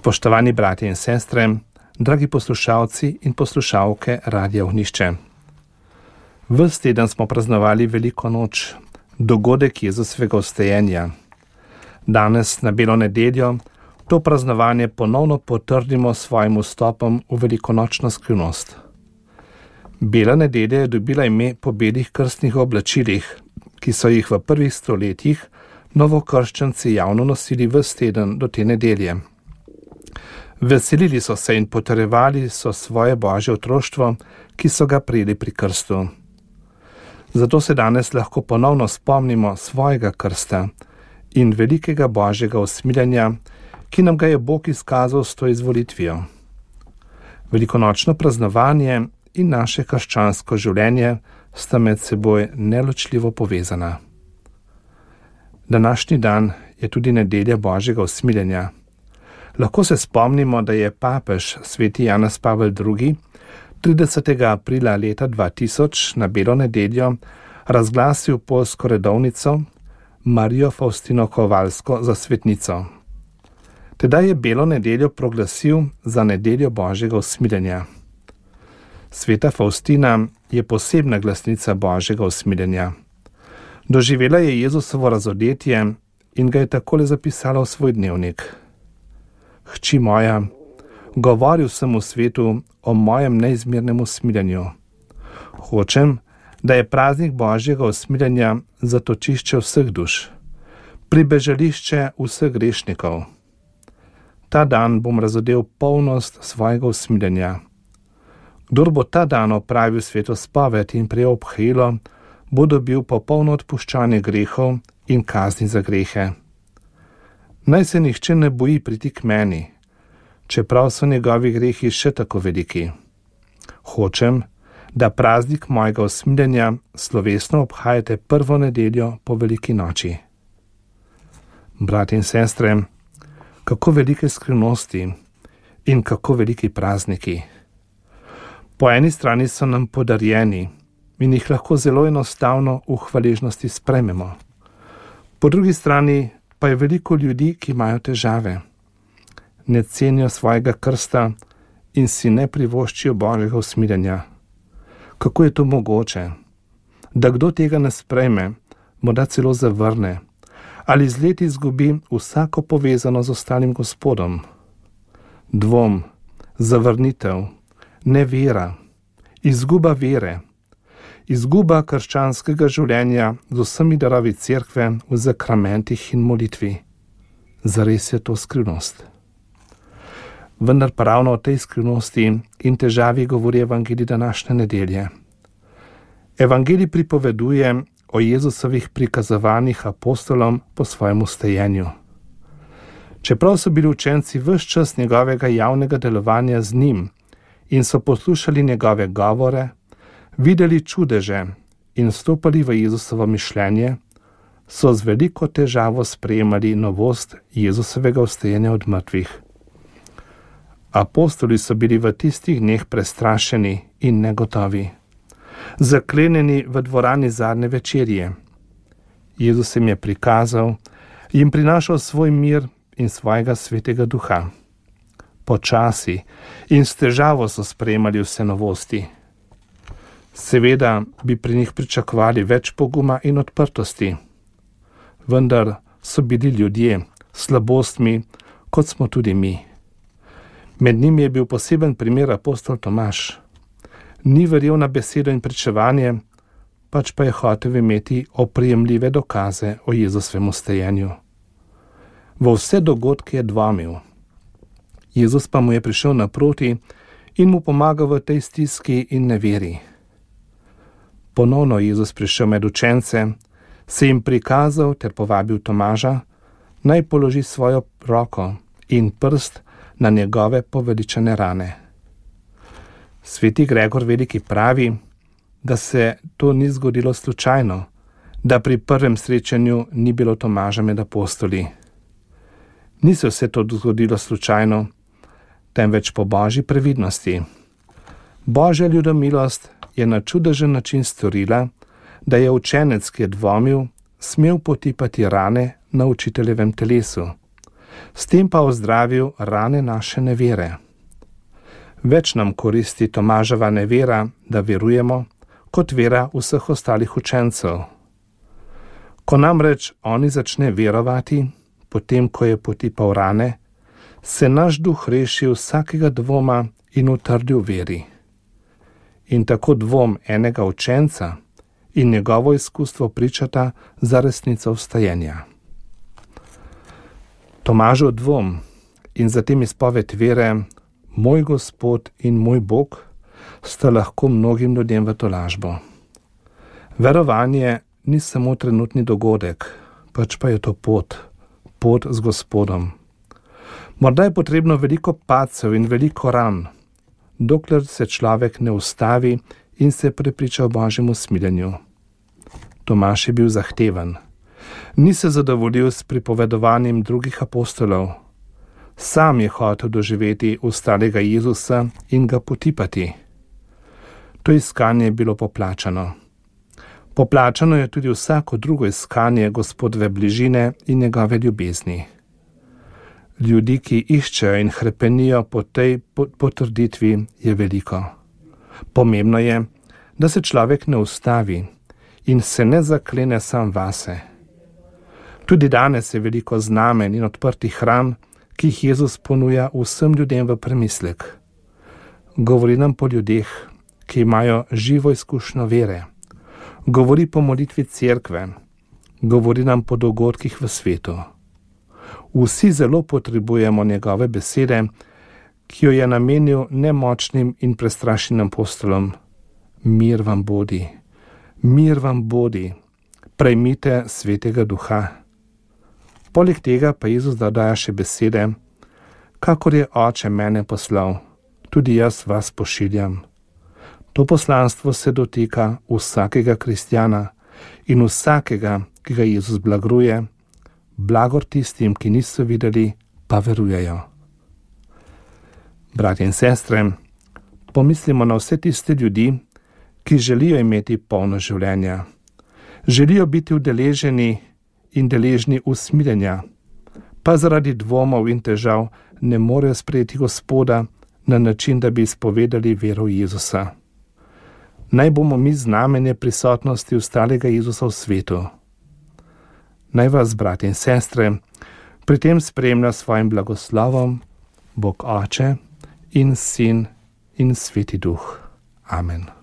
Spoštovani bratje in sestre, dragi poslušalci in poslušalke Radia Ognjišče. Ves teden smo praznovali Veliko noč, dogodek Jezusovega vstajenja. Danes, na Belo nedeljo, to praznovanje ponovno potrdimo s svojim vstopom v velikonočno skrivnost. Bela nedelja je dobila ime po belih krstnih oblačilih, ki so jih v prvih stoletjih novokrščanci javno nosili ves teden do te nedelje. Veselili so se in potrjevali so svoje božje otroštvo, ki so ga prejeli pri krstu. Zato se danes lahko ponovno spomnimo svojega krsta in velikega božjega usmiljenja, ki nam ga je Bog izkazal s to izvolitvijo. Velikonočno praznovanje in naše krščansko življenje sta med seboj neločljivo povezana. Današnji dan je tudi nedelja božjega usmiljenja. Lahko se spomnimo, da je papež sveti Janez Pavel II. 30. aprila leta 2000 na Belo nedeljo razglasil poljsko redovnico Marijo Faustino Kowalsko za svetnico. Tedaj je Belo nedeljo proglasil za nedeljo božjega usmiljenja. Sveta Faustina je posebna glasnica božjega usmiljenja. Doživela je Jezusovo razodetje in ga je takole zapisala v svoj dnevnik. Hči moja, govoril sem v svetu o mojem neizmernem usmiljenju. Hočem, da je praznik božjega usmiljenja zatočišče vseh duš, pribežališče vseh grešnikov. Ta dan bom razodel polnost svojega usmiljenja. Kdor bo ta dan opravil svetospoved in prejel obhajilo, bo dobil popolno odpuščanje grehov in kazni za grehe. Naj se nihče ne boji priti k meni, čeprav so njegovi grehi še tako veliki. Hočem, da praznik mojega usmiljenja slovesno obhajate prvo nedeljo po veliki noči. Bratje in sestre, kako velike skrivnosti in kako veliki prazniki. Po eni strani so nam podarjeni in jih lahko zelo enostavno v hvaležnosti sprejmemo. Po drugi strani pa je veliko ljudi, ki imajo težave. Ne cenijo svojega krsta in si ne privoščijo božjega usmiljenja. Kako je to mogoče? Da kdo tega ne sprejme, morda celo zavrne ali z leti izgubi vsako povezano z ostalim Gospodom. Dvom, zavrnitev, nevera, izguba vere, izguba krščanskega življenja z vsemi darovi cerkve v zakramentih in molitvi. Zares je to skrivnost. Vendar pa ravno o tej skrivnosti in težavi govori evangelij današnje nedelje. Evangelij pripoveduje o Jezusovih prikazovanjih apostolom po svojem vstajenju. Čeprav so bili učenci ves čas njegovega javnega delovanja z njim in so poslušali njegove govore, videli čudeže in vstopali v Jezusovo mišljenje, so z veliko težavo sprejemali novost Jezusovega vstajenja od mrtvih. Apostoli so bili v tistih dneh prestrašeni in negotovi, zaklenjeni v dvorani zadnje večerje. Jezus jim je prikazal, jim prinašal svoj mir in svojega svetega duha. Počasi in s težavo so sprejemali vse novosti. Seveda bi pri njih pričakovali več poguma in odprtosti, vendar so bili ljudje s slabostmi, kot smo tudi mi. Med njimi je bil poseben primer apostol Tomaž. Ni verjel na besedo in pričevanje, pač pa je hotel imeti oprijemljive dokaze o Jezusovem vstajenju. V vse dogodke je dvomil. Jezus pa mu je prišel naproti in mu pomagal v tej stiski in neveri. Ponovno je Jezus prišel med učence, se jim prikazal ter povabil Tomaža, naj položi svojo roko in prst na njegove poveličane rane. Sveti Gregor Veliki pravi, da se to ni zgodilo slučajno, da pri prvem srečanju ni bilo Tomaža med apostoli. Ni se vse to zgodilo slučajno, temveč po božji previdnosti. Božja ljudomilost je na čudežen način storila, da je učenec, ki je dvomil, smel potipati rane na učiteljevem telesu, s tem pa ozdravil rane naše nevere. Več nam koristi Tomaževa nevera, da verujemo, kot vera vseh ostalih učencev. Ko namreč oni začne verovati, potem ko je potipal rane, se naš duh reši vsakega dvoma in utrdi v veri. In tako dvom enega učenca in njegovo izkustvo pričata za resnico vstajenja. Tomažev dvom in zatem izpoved vere, moj Gospod in moj Bog, sta lahko mnogim ljudem v tolažbo. Verovanje ni samo trenutni dogodek, pač pa je to pot z Gospodom. Morda je potrebno veliko padcev in veliko ran, dokler se človek ne ustavi in se prepriča o Božjem usmiljenju. Tomaž je bil zahteven. Ni se zadovoljil s pripovedovanjem drugih apostolov. Sam je hotel doživeti ustalega Jezusa in ga potipati. To iskanje je bilo poplačano. Poplačano je tudi vsako drugo iskanje Gospodove bližine in njegove ljubezni. Ljudi, ki iščejo in hrepenijo po tej potrditvi, je veliko. Pomembno je, da se človek ne ustavi in se ne zaklene sam vase. Tudi danes je veliko znamen in odprtih ran, ki jih Jezus ponuja vsem ljudem v premislek. Govori nam po ljudeh, ki imajo živo izkušnjo vere. Govori po molitvi cerkve. Govori nam po dogodkih v svetu. Vsi zelo potrebujemo njegove besede, ki jo je namenil nemočnim in prestrašenim apostolom. Mir vam bodi, mir vam bodi, prejmite Svetega Duha. Poleg tega pa Jezus dodaja še besede, kakor je Oče mene poslal, tudi jaz vas pošiljam. To poslanstvo se dotika vsakega kristjana in vsakega, ki ga Jezus blagruje, blagor tistim, ki niso videli, pa verujejo. Bratje in sestre, pomislimo na vse tiste ljudi, ki želijo imeti polno življenja. Želijo biti udeleženi in deležni usmiljenja, pa zaradi dvomov in težav ne morejo sprejeti Gospoda na način, da bi izpovedali vero v Jezusa. Naj bomo mi znamenje prisotnosti ostalega Jezusa v svetu. Naj vas, bratje in sestre, pri tem spremlja svojim blagoslovom Bog Oče in Sin in Sveti Duh. Amen.